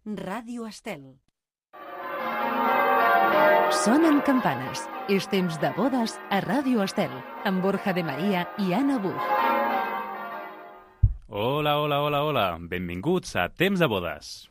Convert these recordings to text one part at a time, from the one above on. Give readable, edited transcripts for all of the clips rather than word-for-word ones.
Ràdio Estel. Sonen campanes. És temps de bodes a Ràdio Estel, amb Borja de Maria i Anna Buch. Hola, hola, hola, hola. Benvinguts a Temps de bodes.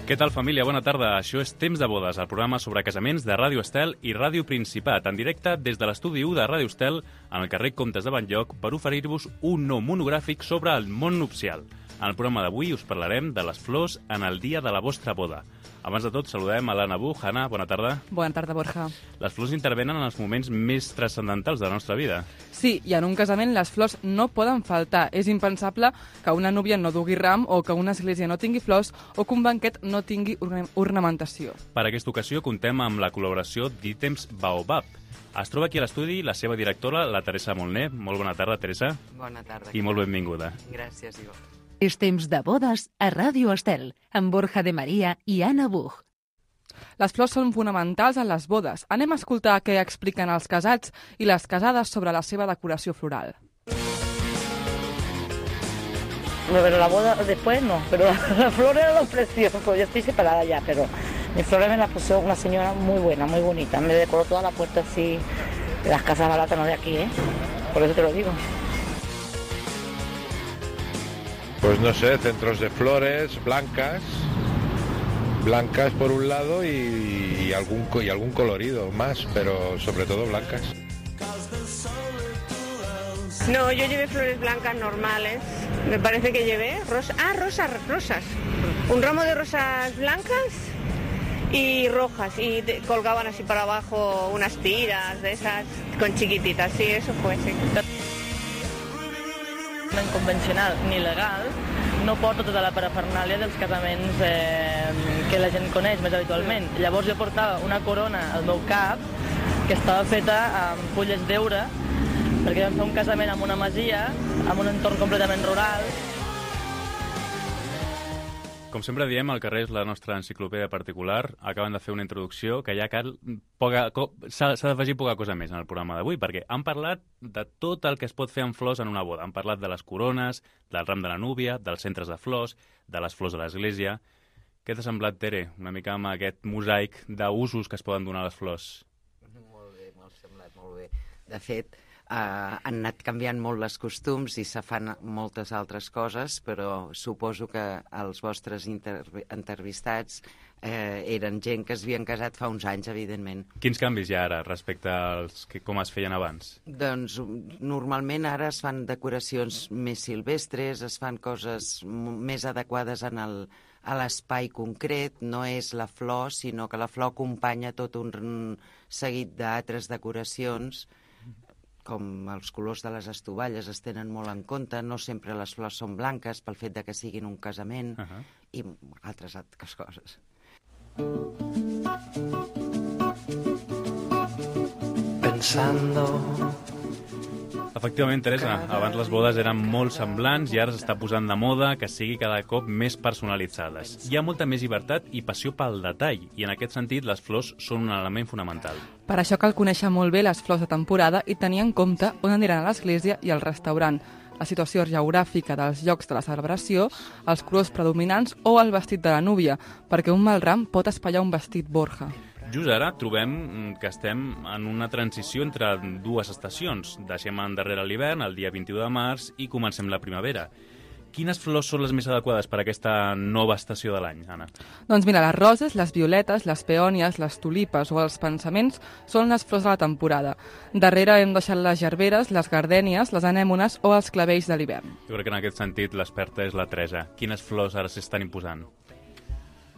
Què tal, família? Bona tarda. Això és Temps de bodes, el programa sobre casaments de Ràdio Estel i Ràdio Principat, en directe des de l'estudi 1 de Ràdio Estel, en el carrer Comtes de Bell-lloc, per oferir-vos un nou monogràfic sobre el món nupcial. En el programa d'avui us parlarem de les flors en el dia de la vostra boda. Abans de tot, saludem a l'Anna Buch. Anna, bona tarda. Bona tarda, Borja. Les flors intervenen en els moments més transcendentals de la nostra vida. Sí, i en un casament les flors no poden faltar. És impensable que una núvia no dugui ram o que una església no tingui flors o que un banquet no tingui ornamentació. Per aquesta ocasió contem amb la col·laboració d'Ítems Baobab. Es troba aquí a l'estudi la seva directora, la Teresa Molné. Molt bona tarda, Teresa. Bona tarda. I molt benvinguda. Gràcies, Ivo. És temps de bodes a Ràdio Estel, amb Borja de Maria i Anna Buch. Les flors són fonamentals en les bodes. Anem a escoltar què expliquen els casats i les casades sobre la seva decoració floral. Pero la boda después no, pero la flor era lo precioso. Yo estoy separada ya, pero mis flores me las puso una señora muy buena, muy bonita. Me decoró toda la puerta así, de las casas baratas, no de aquí, ¿eh? Por eso te lo digo. Pues no sé, centros de flores blancas por un lado y algún colorido más, pero sobre todo blancas. No, yo llevé flores blancas normales. Me parece que llevé rosas. Rosas. Un ramo de rosas blancas y rojas. Y colgaban así para abajo unas tiras de esas con chiquititas. Sí, eso fue, sí. Convencional ni legal no porta tota la parafernàlia dels casaments que la gent coneix més habitualment. Llavors jo portava una corona al meu cap que estava feta amb fulles d'heure perquè vam fer un casament en una masia, en un entorn completament rural. Com sempre diem, el carrer és la nostra enciclopèdia particular. Acaben de fer una introducció que ja s'ha d'afegir poca cosa més en el programa d'avui, perquè han parlat de tot el que es pot fer amb flors en una boda. Han parlat de les corones, del ram de la núvia, dels centres de flors, de les flors de l'església. Què t'ha semblat, Tere, una mica amb aquest mosaic d'usos que es poden donar a les flors? Molt bé, m'ha semblat molt bé. De fet, han anat canviant molt les costums i se fan moltes altres coses, però suposo que els vostres entrevistats eren gent que es havien casat fa uns anys, evidentment. Quins canvis hi ha ara respecte als com es feien abans? Doncs normalment ara es fan decoracions més silvestres, es fan coses més adequades a l'espai concret, no és la flor, sinó que la flor acompanya tot un seguit d'altres decoracions, com els colors de les estovalles es tenen molt en compte, no sempre les flors són blanques pel fet de que siguin un casament i altres coses. Pensando... Efectivament, Teresa, abans les bodes eren molt semblants i ara s'està posant de moda que sigui cada cop més personalitzades. Hi ha molta més llibertat i passió pel detall, i en aquest sentit les flors són un element fonamental. Per això cal conèixer molt bé les flors de temporada i tenir en compte on aniran a l'església i al restaurant, la situació geogràfica dels llocs de la celebració, els colors predominants o el vestit de la núvia, perquè un mal ram pot espatllar un vestit, Borja. Just ara trobem que estem en una transició entre dues estacions. Deixem endarrere l'hivern, el dia 21 de març, i comencem la primavera. Quines flors són les més adequades per a aquesta nova estació de l'any, Anna? Doncs mira, les roses, les violetes, les peònies, les tulipes o els pensaments són les flors de la temporada. Darrere hem deixat les gerberes, les gardènies, les anèmones o els clavells de l'hivern. Jo crec que en aquest sentit l'experta és la Teresa. Quines flors ara s'estan imposant?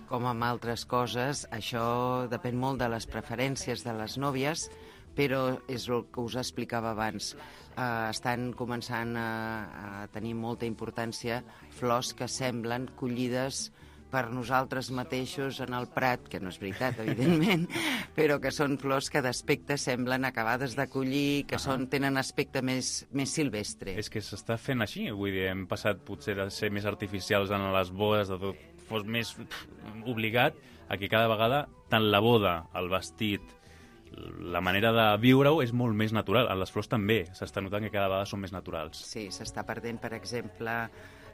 Com amb altres coses, això depèn molt de les preferències de les nòvies, però és el que us explicava abans. Estan començant a tenir molta importància flors que semblen collides per nosaltres mateixos en el Prat, que no és veritat, evidentment, però que són flors que d'aspecte semblen acabades de collir, que tenen aspecte més silvestre. És que s'està fent així, vull dir, hem passat potser de ser més artificials en les bodes, de tot fos més obligat, a que cada vegada tant la boda, el vestit, la manera de viure-ho és molt més natural. En les flors també s'està notant que cada vegada són més naturals. Sí, s'està perdent, per exemple,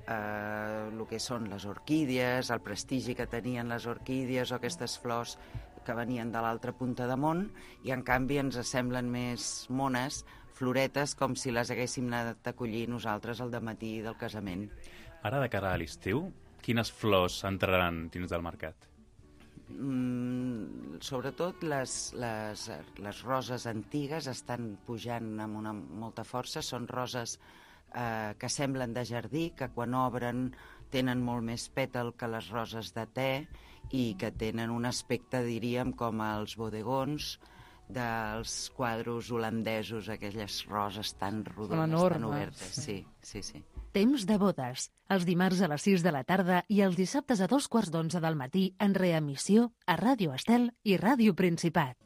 el que són les orquídies, el prestigi que tenien les orquídies o aquestes flors que venien de l'altra punta de món, i en canvi ens semblen més mones, floretes, com si les haguéssim anat a collir nosaltres al dematí del casament. Ara, de cara a l'estiu, quines flors entraran dins del mercat? Sobretot les roses antigues estan pujant amb molta força. Són roses que semblen de jardí, que quan obren tenen molt més pètal que les roses de te i que tenen un aspecte, diríem, com els bodegons dels quadros holandesos, aquelles roses tan rodones, tan obertes. Sí, sí, sí. Temps de bodes, els dimarts a les 6 de la tarda i els dissabtes a 11:15 del matí en reemissió a Ràdio Estel i Ràdio Principat.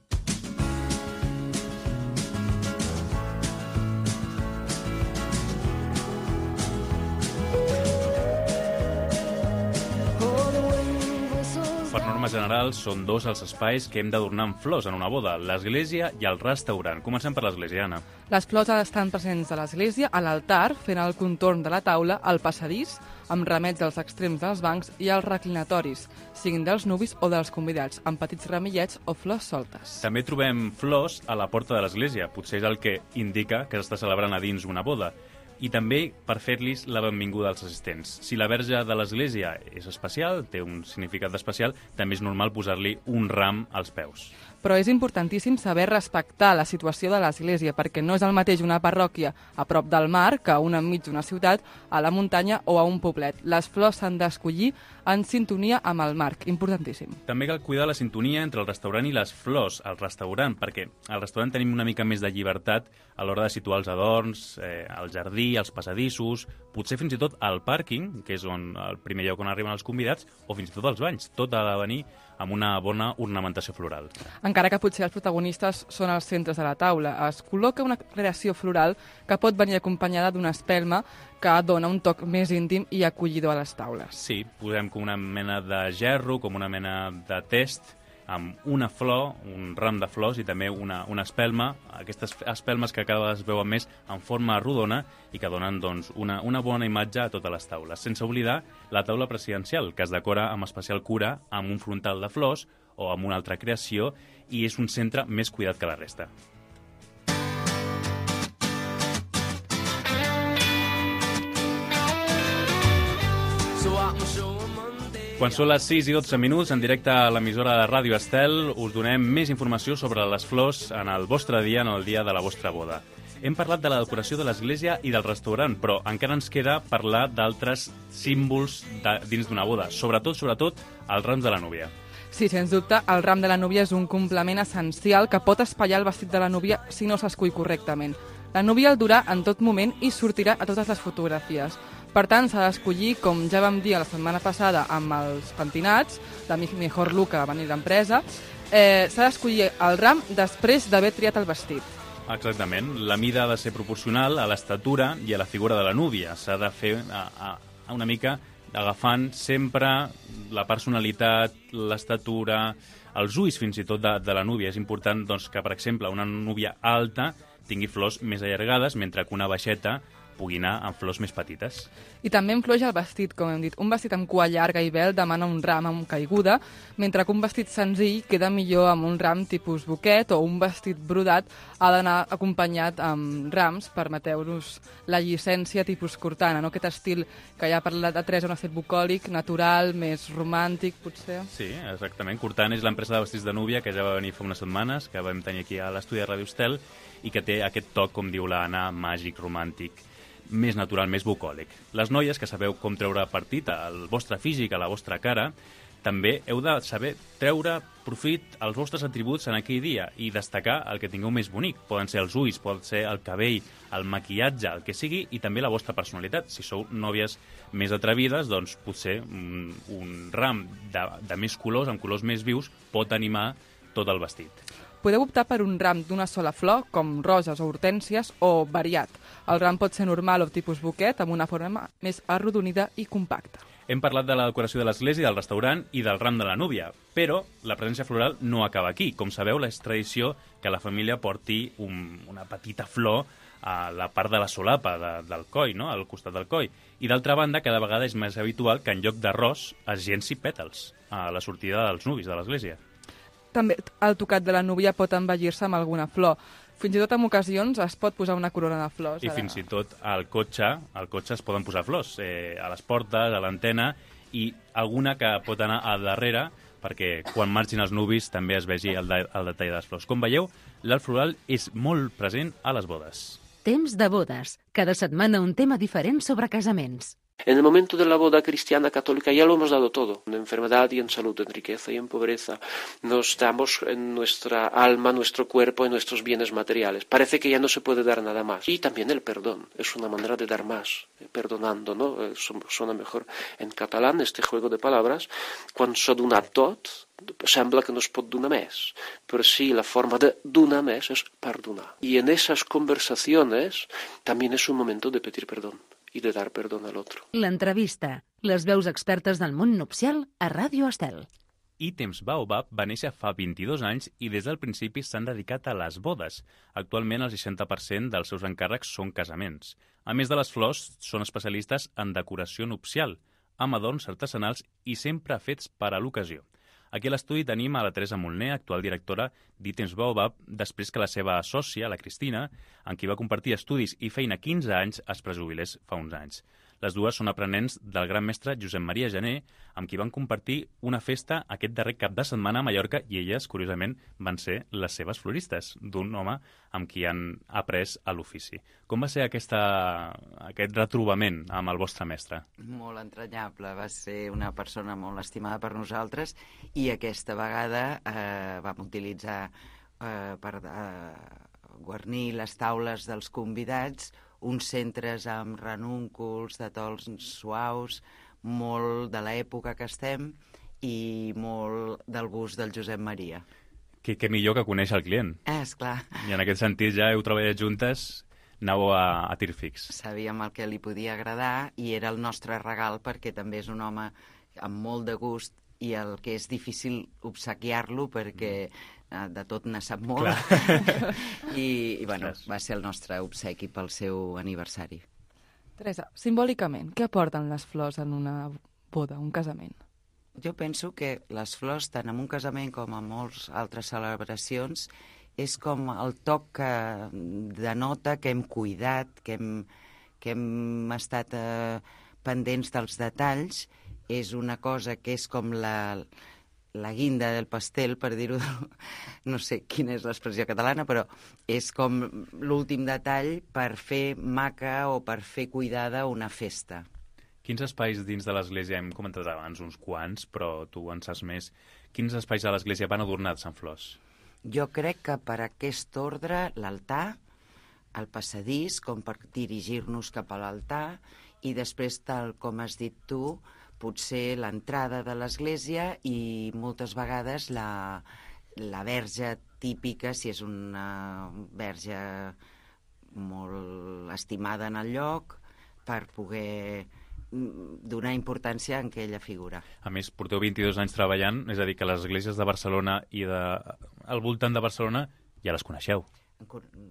Per norma general, són dos els espais que hem d'adornar amb flors en una boda, l'església i el restaurant. Comencem per l'església, Anna. Les flors estan presents a l'església, a l'altar, fent el contorn de la taula, al passadís, amb ramets als extrems dels bancs i als reclinatoris, siguin dels nuvis o dels convidats, amb petits ramillets o flors soltes. També trobem flors a la porta de l'església, potser és el que indica que s'està celebrant a dins una boda. I també per fer-los la benvinguda als assistents. Si la verge de l'església és especial, té un significat especial, també és normal posar-li un ram als peus. Però és importantíssim saber respectar la situació de l'església, perquè no és el mateix una parròquia a prop del mar que una enmig d'una ciutat, a la muntanya o a un poblet. Les flors s'han d'escollir en sintonia amb el marc, importantíssim. També cal cuidar la sintonia entre el restaurant i les flors al restaurant, perquè al restaurant tenim una mica més de llibertat a l'hora de situar els adorns, el jardí, els passadissos, potser fins i tot al pàrquing, que és el primer lloc on arriben els convidats, o fins i tot als banys. Tot ha de venir amb una bona ornamentació floral. Encara que potser els protagonistes són els centres de la taula, es col·loca una creació floral que pot venir acompanyada d'una espelma que dona un toc més íntim i acollidor a les taules. Sí, posem com una mena de gerro, com una mena de test, amb una flor, un ram de flors i també una espelma, aquestes espelmes que cada vegada es veuen més en forma rodona i que donen doncs, una bona imatge a totes les taules. Sense oblidar la taula presidencial, que es decora amb especial cura amb un frontal de flors o amb una altra creació i és un centre més cuidat que la resta. Quan són les 6 i 12 minuts, en directe a l'emissora de Ràdio Estel, us donem més informació sobre les flors en el vostre dia, en el dia de la vostra boda. Hem parlat de la decoració de l'església i del restaurant, però encara ens queda parlar d'altres símbols dins d'una boda, sobretot els rams de la núvia. Sí, sens dubte, el ram de la núvia és un complement essencial que pot espatllar el vestit de la núvia si no s'escull correctament. La núvia el durà en tot moment i sortirà a totes les fotografies. Per tant, s'ha d'escollir, com ja vam dir la setmana passada amb els pentinats, la Mejor Look que va venir d'empresa, s'ha d'escollir el ram després d'haver triat el vestit. Exactament. La mida ha de ser proporcional a l'estatura i a la figura de la núvia. S'ha de fer una mica agafant sempre la personalitat, l'estatura, els ulls fins i tot de la núvia. És important doncs, que, per exemple, una núvia alta tingui flors més allargades, mentre que una baixeta pugui anar amb flors més petites. I també influeix el vestit, com hem dit. Un vestit amb cua llarga i vel demana un ram amb caiguda, mentre que un vestit senzill queda millor amb un ram tipus buquet o un vestit brodat ha d'anar acompanyat amb rams, permeteu-nos la llicència tipus cortana, no? Aquest estil que ja ha parlat de Teresa, un estil bucòlic, natural, més romàntic, potser. Sí, exactament. Cortana és l'empresa de vestits de núvia que ja va venir fa unes setmanes, que vam tenir aquí a l'estudi de Ràdio Estel, i que té aquest toc, com diu l'Anna, màgic, romàntic, més natural, més bucòlic. Les noies, que sabeu com treure partit al vostre físic, a la vostra cara, també heu de saber treure profit als vostres atributs en aquell dia i destacar el que tingueu més bonic. Poden ser els ulls, pot ser el cabell, el maquillatge, el que sigui, i també la vostra personalitat. Si sou nòvies més atrevides, doncs potser un ram de més colors, amb colors més vius, pot animar tot el vestit. Podeu optar per un ram d'una sola flor, com roses o hortènsies, o variat. El ram pot ser normal o tipus buquet, amb una forma més arrodonida i compacta. Hem parlat de la decoració de l'església, del restaurant i del ram de la núvia, però la presència floral no acaba aquí. Com sabeu, és tradició que la família porti una petita flor a la part de la solapa del coll, no? Al costat del coll. I d'altra banda, cada vegada és més habitual que en lloc d'arròs es llenci pètals a la sortida dels nuvis de l'església. També el tocat de la núvia pot embellir-se amb alguna flor. Fins i tot en ocasions es pot posar una corona de flors. I fins i tot al cotxe es poden posar flors, a les portes, a l'antena, i alguna que pot anar al darrere perquè quan marxin els nuvis també es vegi el detall de les flors. Com veieu, l'art floral és molt present a les bodes. Temps de bodes. Cada setmana un tema diferent sobre casaments. En el momento de la boda cristiana católica ya lo hemos dado todo, en enfermedad y en salud, en riqueza y en pobreza. Nos damos en nuestra alma, nuestro cuerpo y nuestros bienes materiales. Parece que ya no se puede dar nada más. Y también el perdón, es una manera de dar más, perdonando, ¿no? Suena mejor en catalán este juego de palabras. Quan s'ha donat tot, sembla que no es pot donar més, però sí, la forma de donar més és perdonar. Y en esas conversaciones también es un momento de pedir perdón i de dar perdón al otro. L'entrevista. Les veus expertes del món nupcial a Ràdio Estel. Ítems Baobab va néixer fa 22 anys i des del principi s'han dedicat a les bodes. Actualment el 60% dels seus encàrrecs són casaments. A més de les flors, són especialistes en decoració nupcial, amb adorns artesanals i sempre fets per a l'ocasió. Aquí a l'estudi tenim a la Teresa Molner, actual directora d'Ítems Baobab, després que la seva sòcia, la Cristina, amb qui va compartir estudis i feina 15 anys, es prejubilés fa uns anys. Les dues són aprenents del gran mestre Josep Maria Janer, amb qui van compartir una festa aquest darrer cap de setmana a Mallorca i elles, curiosament, van ser les seves floristes, d'un home amb qui han après a l'ofici. Com va ser aquest retrobament amb el vostre mestre? Molt entranyable, va ser una persona molt estimada per nosaltres i aquesta vegada vam utilitzar per guarnir les taules dels convidats uns centres amb ranúnculs de tons suaus, molt de l'època que estem i molt del gust del Josep Maria. Que millor que conèixer el client. Esclar. I en aquest sentit ja heu treballat juntes, anàveu a tir fix. Sabíem el que li podia agradar i era el nostre regal perquè també és un home amb molt de gust i el que és difícil obsequiar-lo perquè de tot ne sap molt. I bueno, va ser el nostre obsequi pel seu aniversari. Teresa, simbòlicament, què aporten les flors en una boda, un casament? Jo penso que les flors, tant en un casament com en moltes altres celebracions, és com el toc que denota que hem cuidat, que hem estat pendents dels detalls. És una cosa que és com la guinda del pastel, per dir-ho, no sé quina és l'expressió catalana, però és com l'últim detall per fer maca o per fer cuidada una festa. Quins espais dins de l'església, hem comentat abans uns quants, però tu en saps més, quins espais de l'església van adornats amb flors? Jo crec que per aquest ordre l'altar, el passadís, com per dirigir-nos cap a l'altar, i després, tal com has dit tu, potser l'entrada de l'església i moltes vegades la verge típica, si és una verge molt estimada en el lloc, per poder donar importància en aquella figura. A més, porteu 22 anys treballant, és a dir, que les esglésies de Barcelona i al voltant de Barcelona ja les coneixeu.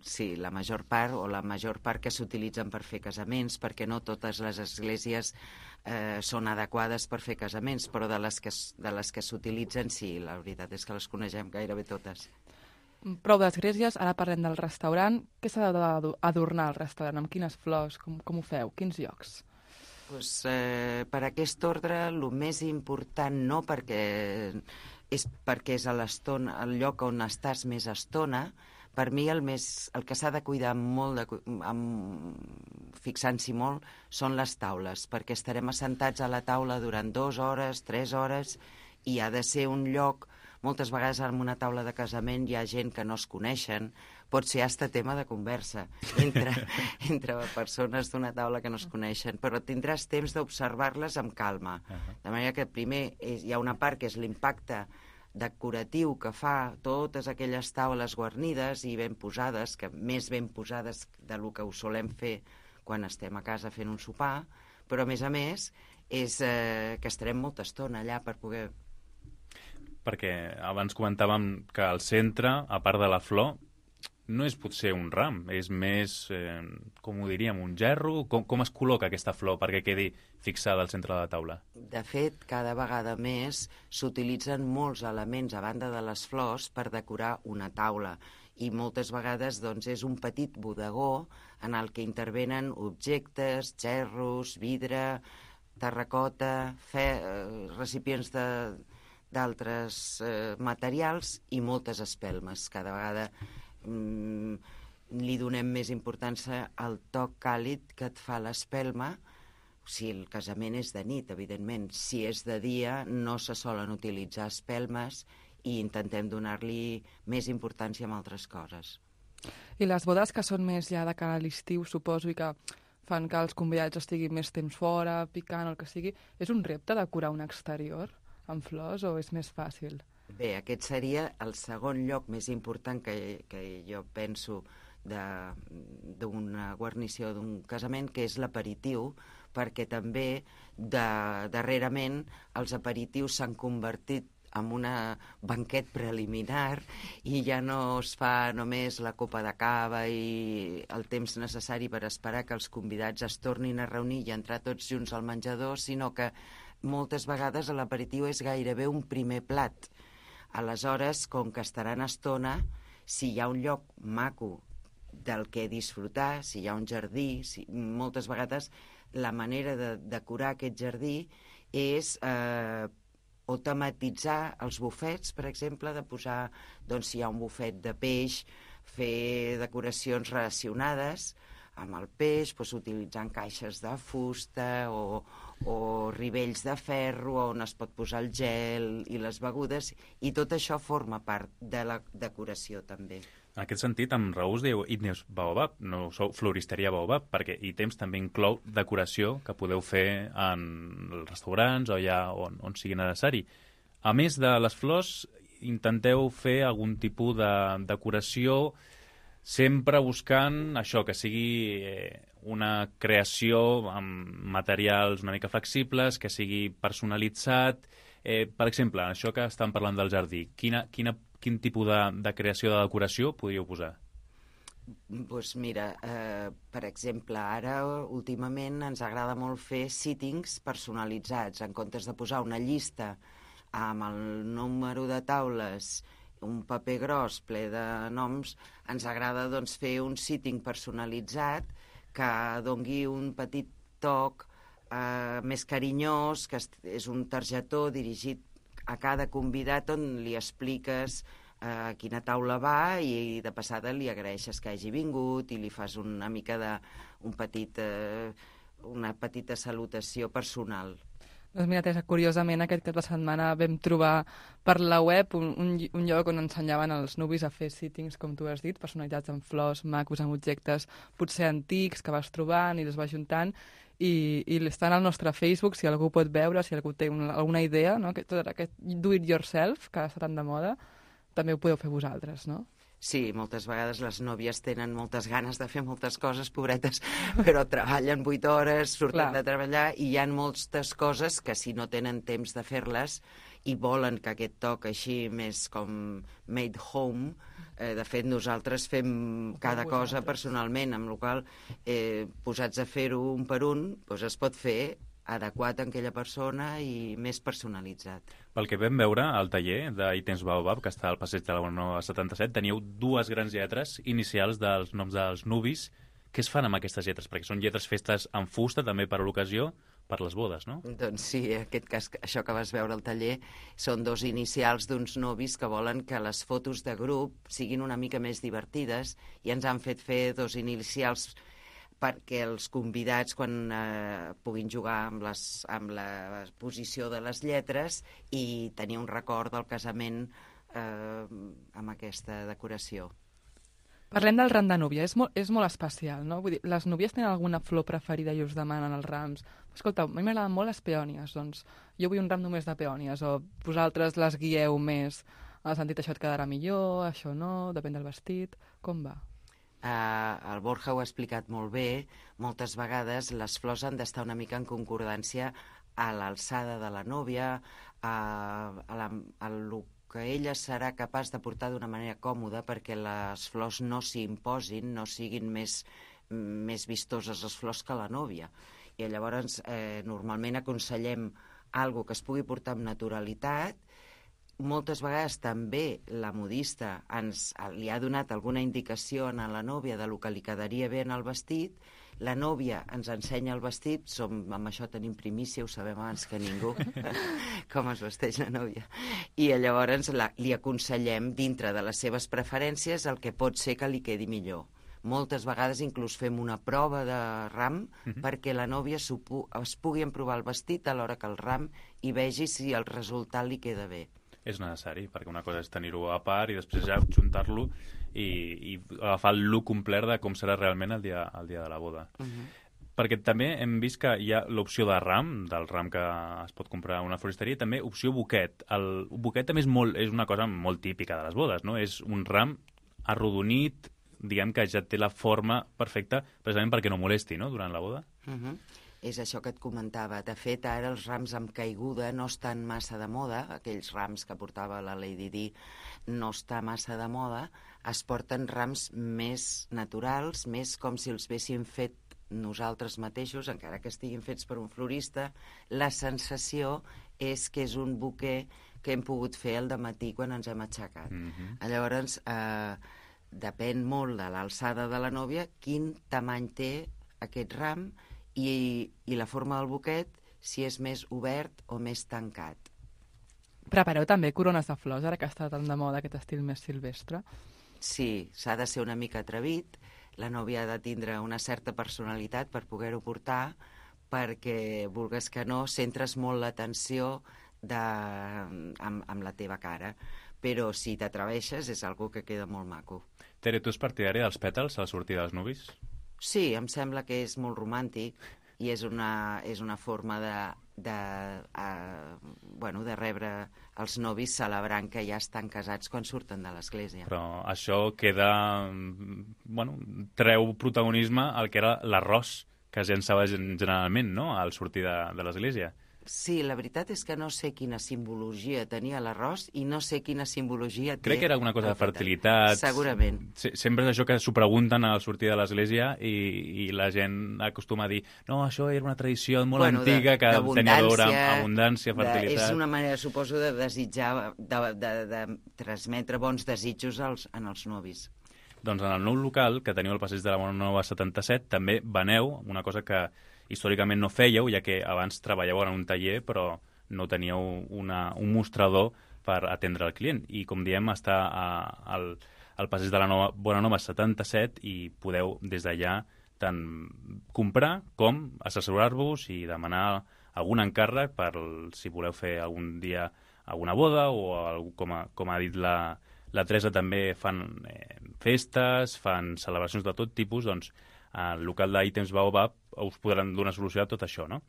Sí, la major part que s'utilitzen per fer casaments, perquè no totes les esglésies són adequades per fer casaments, però de les que s'utilitzen, sí, la veritat és que les coneixem gairebé totes. Prou d'esglésies, ara parlem del restaurant. Què s'ha d'adornar al restaurant? Amb quines flors? Com ho feu? Quins llocs? Per aquest ordre, el més important no, perquè és a l'estona, el lloc on estàs més estona. Per mi el que s'ha de cuidar molt, fixant-s'hi molt, són les taules, perquè estarem assentats a la taula durant 2 hores, 3 hores, i ha de ser un lloc. Moltes vegades en una taula de casament hi ha gent que no es coneixen, pot ser hasta tema de conversa entre persones d'una taula que no es coneixen, però tindràs temps d'observar-les amb calma. De manera que primer hi ha una part que és l'impacte decoratiu que fa totes aquelles taules guarnides i ben posades, que més ben posades del que ho solem fer quan estem a casa fent un sopar, però a més és que estarem molta estona allà per poder... Perquè abans comentàvem que al centre, a part de la flor, no és potser un ram, és més, com ho diríem, un gerro? Com es col·loca aquesta flor perquè quedi fixada al centre de la taula? De fet, cada vegada més s'utilitzen molts elements a banda de les flors per decorar una taula i moltes vegades doncs, és un petit bodegó en el que intervenen objectes, gerros, vidre, terracota, recipients d'altres materials i moltes espelmes. Cada vegada li donem més importància al toc càlid que et fa l'espelma. Si el casament és de nit, evidentment. Si és de dia, no se solen utilitzar espelmes i intentem donar-li més importància a altres coses. I les bodes que són més ja de cara a l'estiu, suposo, i que fan que els convidats estiguin més temps fora, picant o el que sigui, és un repte decorar un exterior amb flors o és més fàcil? Bé, aquest seria el segon lloc més important que jo penso d'una guarnició d'un casament, que és l'aperitiu, perquè també darrerament els aperitius s'han convertit en un banquet preliminar i ja no es fa només la copa de cava i el temps necessari per esperar que els convidats es tornin a reunir i entrar tots junts al menjador, sinó que moltes vegades l'aperitiu és gairebé un primer plat. Aleshores, com que estaran estona, si hi ha un lloc maco del que disfrutar, si hi ha un jardí, moltes vegades la manera de decorar aquest jardí és o tematitzar els bufets, per exemple, de posar, doncs, si hi ha un bufet de peix, fer decoracions relacionades amb el peix, doncs, utilitzant caixes de fusta o rivells de ferro on es pot posar el gel i les begudes, i tot això forma part de la decoració també. En aquest sentit, amb Raúl diu Items Baobab, no sou floristeria Baobab, perquè Items també inclou decoració que podeu fer en els restaurants o allà on sigui necessari. A més de les flors, intenteu fer algun tipus de decoració sempre buscant això, que sigui una creació amb materials una mica flexibles, que sigui personalitzat. Per exemple, això que estan parlant del jardí, quin tipus de creació de decoració podríeu posar? Doncs mira, per exemple, ara últimament ens agrada molt fer sittings personalitzats. En comptes de posar una llista amb el número de taules, un paper gros ple de noms, ens agrada doncs, fer un sitting personalitzat que dongui un petit toc més carinyós, que és un targetó dirigit a cada convidat on li expliques a quina taula va i de passada li agraeixes que hagi vingut i li fas una mica una petita salutació personal. Doncs mira, Teresa, curiosament aquest cap de setmana vam trobar per la web un lloc on ensenyaven els nuvis a fer sittings, com tu has dit, personalitzats amb flors, macos, amb objectes potser antics que vas trobant i els vas juntant, i estan al nostre Facebook, si algú pot veure, si algú té alguna idea, no? Tot aquest do it yourself, que està tan de moda, també ho podeu fer vosaltres, no? Sí, moltes vegades les nòvies tenen moltes ganes de fer moltes coses, pobretes, però treballen 8 hores, surten de treballar i hi ha moltes coses que si no tenen temps de fer-les i volen que aquest toc així més com made home, de fet nosaltres fem cada cosa personalment, amb la qual posats a fer-ho un per un, doncs es pot fer adequat a aquella persona i més personalitzat. Pel que vam veure al taller d'Items Baobab, que està al passeig de la Bonanova 77, teníeu 2 grans lletres inicials dels noms dels nuvis. Què es fan amb aquestes lletres? Perquè són lletres festes en fusta, també per a l'ocasió, per les bodes, no? Doncs sí, en aquest cas, això que vas veure al taller són 2 inicials d'uns nuvis que volen que les fotos de grup siguin una mica més divertides i ens han fet fer 2 inicials perquè els convidats, quan puguin jugar amb la posició de les lletres i tenir un record del casament amb aquesta decoració. Parlem del ram de núvia, és molt especial, no? Vull dir, les núvies tenen alguna flor preferida i us demanen els rams. Escolta, a mi m'agraden molt les peònies, doncs jo vull un ram només de peònies, o vosaltres les guieu més, en el sentit això et quedarà millor, això no, depèn del vestit, com va? El Borja ho ha explicat molt bé, moltes vegades les flors han d'estar una mica en concordància a l'alçada de la nòvia, a lo que ella serà capaç de portar d'una manera còmoda perquè les flors no s'hi imposin, no siguin més vistoses les flors que la nòvia. I llavors normalment aconsellem algo que es pugui portar amb naturalitat. Moltes vegades també la modista li ha donat alguna indicació a la nòvia de lo que li quedaria bé en el vestit. La nòvia ens ensenya el vestit, amb això tenim primícia, ho sabem abans que ningú, com es vesteix la nòvia. I llavors li aconsellem, dintre de les seves preferències, el que pot ser que li quedi millor. Moltes vegades inclús fem una prova de ram perquè la nòvia es pugui emprovar el vestit a l'hora que el ram i vegi si el resultat li queda bé. És necessari, perquè una cosa és tenir-ho a part i després ja juntar-lo i agafar el look complet de com serà realment el dia de la boda. Perquè també hem vist que hi ha l'opció de ram, del ram que es pot comprar a una floristeria, i també opció buquet. El buquet també és una cosa molt típica de les bodes, no? És un ram arrodonit, diguem que ja té la forma perfecta precisament perquè no molesti, no?, durant la boda. És això que et comentava. De fet, ara els rams amb caiguda no estan massa de moda, aquells rams que portava la Lady Di no està massa de moda, es porten rams més naturals, més com si els haguéssim fet nosaltres mateixos, encara que estiguin fets per un florista. La sensació és que és un buquer que hem pogut fer al dematí quan ens hem aixecat. Llavors, depèn molt de l'alçada de la nòvia quin tamany té aquest ram i la forma del buquet, si és més obert o més tancat. Prepareu també corones de flors, ara que està tan de moda aquest estil més silvestre? Sí, s'ha de ser una mica atrevit, la nòvia ha de tindre una certa personalitat per poder-ho portar, perquè, vulgues que no, centres molt l'atenció amb la teva cara. Però si t'atreveixes és algo que queda molt maco. Tere, tu ets partidària dels pètals a la sortida dels nuvis? Sí, em sembla que és molt romàntic i és una forma de rebre els novis celebrant que ja estan casats quan surten de l'església. Però això queda... treu protagonisme al que era l'arròs que es llançava generalment, no?, al sortir de l'església. Sí, la veritat és que no sé quina simbologia tenia l'arròs i no sé quina simbologia té... Crec que era alguna cosa de fertilitat. Segurament. Sempre és això que s'ho pregunten al sortir de l'església i la gent acostuma a dir no, això era una tradició molt antiga que tenia a veure amb abundància, fertilitat... És una manera, suposo, de desitjar, de transmetre bons desitjos en els novis. Doncs en el nou local, que teniu al passeig de la Bona Nova 77, també veneu una cosa que històricament no fèieu, ja que abans treballeu en un taller, però no teníeu un mostrador per atendre el client. I, com diem, està al passeig de la Bona Nova 77 i podeu, des d'allà, tant comprar com assessorar-vos i demanar algun encàrrec per si voleu fer algun dia alguna boda o, com ha dit la Teresa, també fan festes, fan celebracions de tot tipus, doncs al local d'Items Baobab us podran donar solució a tot això, no?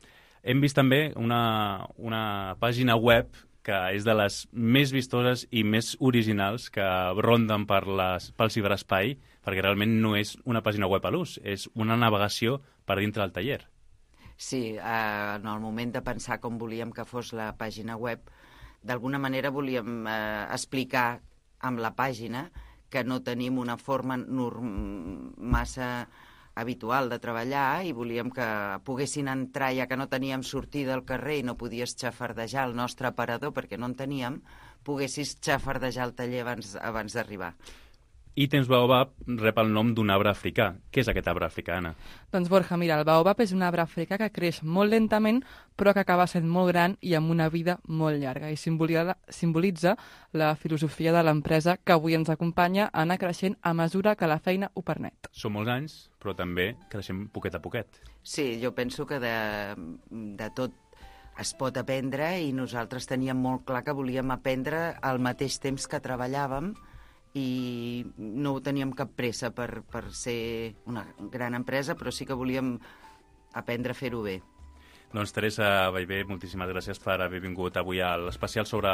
Hem vist també una pàgina web que és de les més vistoses i més originals que ronden pel ciberespai, perquè realment no és una pàgina web a l'ús, és una navegació per dintre del taller. Sí, en el moment de pensar com volíem que fos la pàgina web, d'alguna manera volíem explicar amb la pàgina que no tenim una forma massa habitual de treballar i volíem que poguessin entrar, ja que no teníem sortida al carrer i no podies xafardejar el nostre aparador perquè no en teníem, poguessis xafardejar el taller abans d'arribar. Items Baobab rep el nom d'un arbre africà. Què és aquest arbre africà, Anna? Doncs, Borja, mira, el baobab és un arbre africà que creix molt lentament, però que acaba sent molt gran i amb una vida molt llarga. I simbolitza la filosofia de l'empresa que avui ens acompanya a anar creixent a mesura que la feina ho permet. Són molts anys, però també creixem poquet a poquet. Sí, jo penso que de tot es pot aprendre i nosaltres teníem molt clar que volíem aprendre al mateix temps que treballàvem i no teníem cap pressa per ser una gran empresa, però sí que volíem aprendre a fer-ho bé. Doncs Teresa Ballbé, moltíssimes gràcies per haver vingut avui a l'especial sobre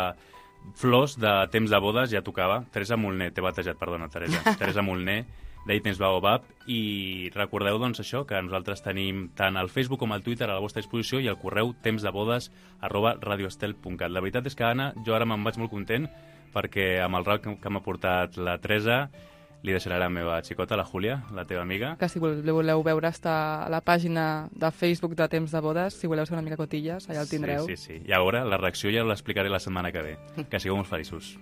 flors de temps de bodes, ja tocava. Teresa Molné, t'he batejat, perdona, Teresa. Teresa Molné, Temps Baobab, i recordeu doncs això, que nosaltres tenim tant el Facebook com el Twitter a la vostra disposició i el correu tempsdebodes@radioestel.cat. La veritat és que, Anna, jo ara me'n vaig molt content perquè amb el rap que m'ha portat la Teresa li deixaré la meva xicota, la Júlia, la teva amiga. Que si voleu veure està a la pàgina de Facebook de Temps de Bodes, si voleu ser una mica cotilles, allà el tindreu. Sí. I a veure, la reacció ja l'explicaré la setmana que ve. Que sigueu molt feliços.